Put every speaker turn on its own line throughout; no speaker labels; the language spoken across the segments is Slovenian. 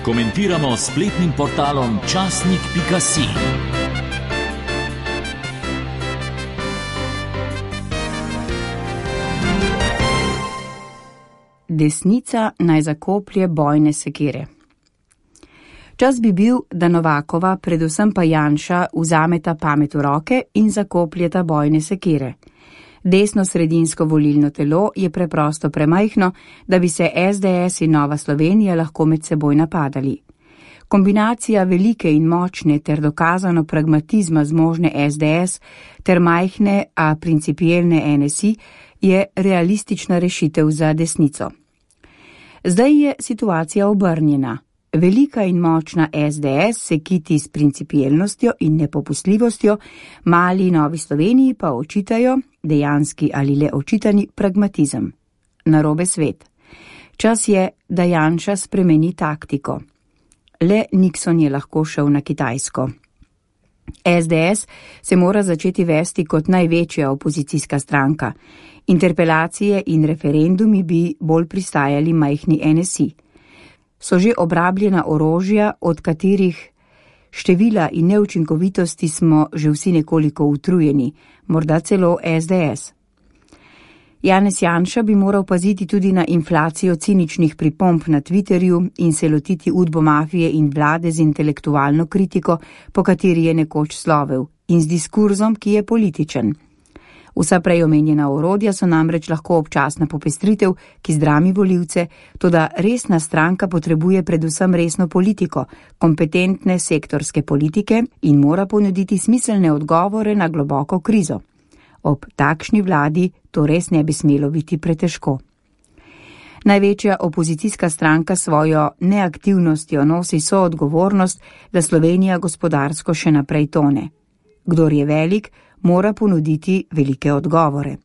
komentiramo s spletnim portalom časnik.si.
Desnica naj zakoplje bojne sekire. Čas bi bil, da Novakova, predvsem pa Janša, vzameta pamet v roke in zakopljeta bojne sekire. Desno-sredinsko volilno telo je preprosto premajhno, da bi se SDS in Nova Slovenija lahko med seboj napadali. Kombinacija velike in močne ter dokazano pragmatizma zmožne SDS ter majhne, a principielne NSI je realistična rešitev za desnico. Zdaj je situacija obrnjena. Velika in močna SDS se kiti s principielnostjo in nepopustljivostjo, mali Novi Sloveniji pa očitajo, dejanski ali le očitani, pragmatizem. Narobe svet. Čas je, da Janša spremeni taktiko. Le Nixon je lahko šel na Kitajsko. SDS se mora začeti vesti kot največja opozicijska stranka. Interpelacije in referendumi bi bolj pristajali majhni NSI. So že obrabljena orožja, od katerih števila in neučinkovitosti smo že vsi nekoliko utrujeni, morda celo SDS. Janez Janša bi moral paziti tudi na inflacijo ciničnih pripomb na Twitterju in se lotiti udbomafije in vlade z intelektualno kritiko, po kateri je nekoč slovel, in z diskurzom, ki je političen. Vsa prej omenjena orodja so namreč lahko občasna popestritev, ki zdrami volivce, toda resna stranka potrebuje predvsem resno politiko, kompetentne sektorske politike in mora ponuditi smiselne odgovore na globoko krizo. Ob takšni vladi to res ne bi smelo biti pretežko. Največja opozicijska stranka svojo neaktivnostjo nosi soodgovornost, da Slovenija gospodarsko še naprej tone. Kdor je velik, mora ponuditi velike odgovore.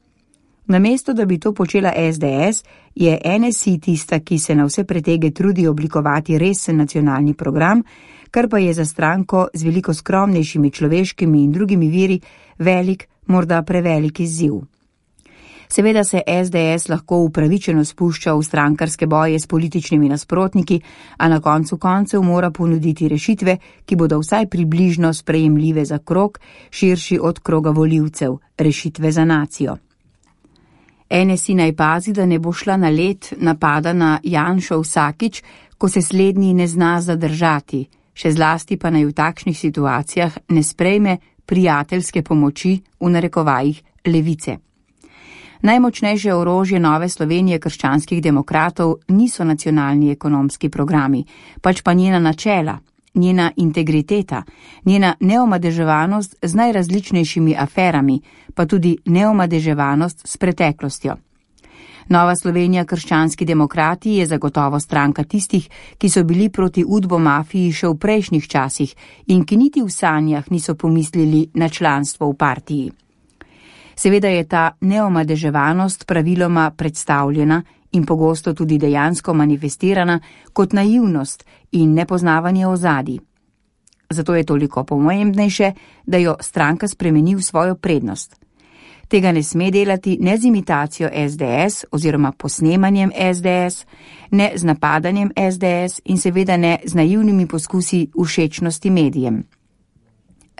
Namesto, da bi to počela SDS, je NSI tista, ki se na vse pretege trudi oblikovati resen nacionalni program, kar pa je za stranko z veliko skromnejšimi človeškimi in drugimi viri velik, morda prevelik izziv. Seveda se SDS lahko upravičeno spušča v strankarske boje s političnimi nasprotniki, a na koncu koncev mora ponuditi rešitve, ki bodo vsaj približno sprejemljive za krog, širši od kroga volivcev, rešitve za nacijo. NSI naj pazi, da ne bo šla na led napada na Janšo vsakič, ko se slednji ne zna zadržati, še zlasti pa naj v takšnih situacijah ne sprejme prijateljske pomoči, v narekovajih, levice. Najmočnejše orožje Nove Slovenije krščanskih demokratov niso nacionalni ekonomski programi, pač pa njena načela, njena integriteta, njena neomadeževanost z najrazličnejšimi aferami, pa tudi neomadeževanost s preteklostjo. Nova Slovenija krščanski demokrati je zagotovo stranka tistih, ki so bili proti udbomafiji še v prejšnjih časih in ki niti v sanjah niso pomislili na članstvo v partiji. Seveda je ta neomadeževanost praviloma predstavljena in pogosto tudi dejansko manifestirana kot naivnost in nepoznavanje ozadij. Zato je toliko pomembnejše, da jo stranka spremeni v svojo prednost. Tega ne sme delati ne z imitacijo SDS oziroma posnemanjem SDS, ne z napadanjem SDS in seveda ne z naivnimi poskusi všečnosti medijem.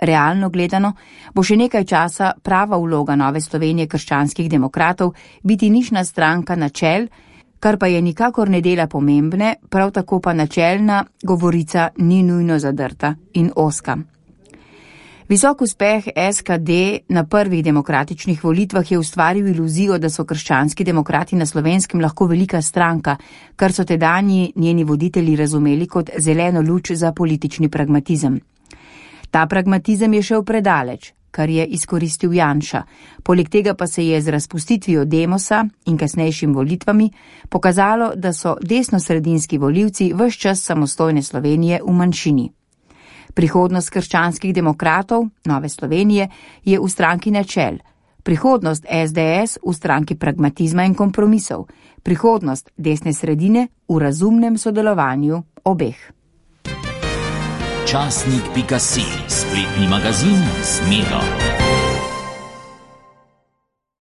Realno gledano bo še nekaj časa prava vloga Nove Slovenije krščanskih demokratov biti nišna stranka načel, kar pa je nikakor ne dela pomembne, prav tako pa načelna govorica ni nujno zadrta in ozka. Visok uspeh SKD na prvih demokratičnih volitvah je ustvaril iluzijo, da so krščanski demokrati na Slovenskem lahko velika stranka, kar so tedanji njeni voditelji razumeli kot zeleno luč za politični pragmatizem. Ta pragmatizem je šel predaleč, kar je izkoristil Janša. Poleg tega pa se je z razpustitvijo Demosa in kasnejšim volitvami pokazalo, da so desnosredinski volivci ves čas samostojne Slovenije v manjšini. Prihodnost krščanskih demokratov, Nove Slovenije, je v stranki načel. Prihodnost SDS v stranki pragmatizma in kompromisov. Prihodnost desne sredine v razumnem sodelovanju obeh.
Časnik.si, spletni magazin z Miro.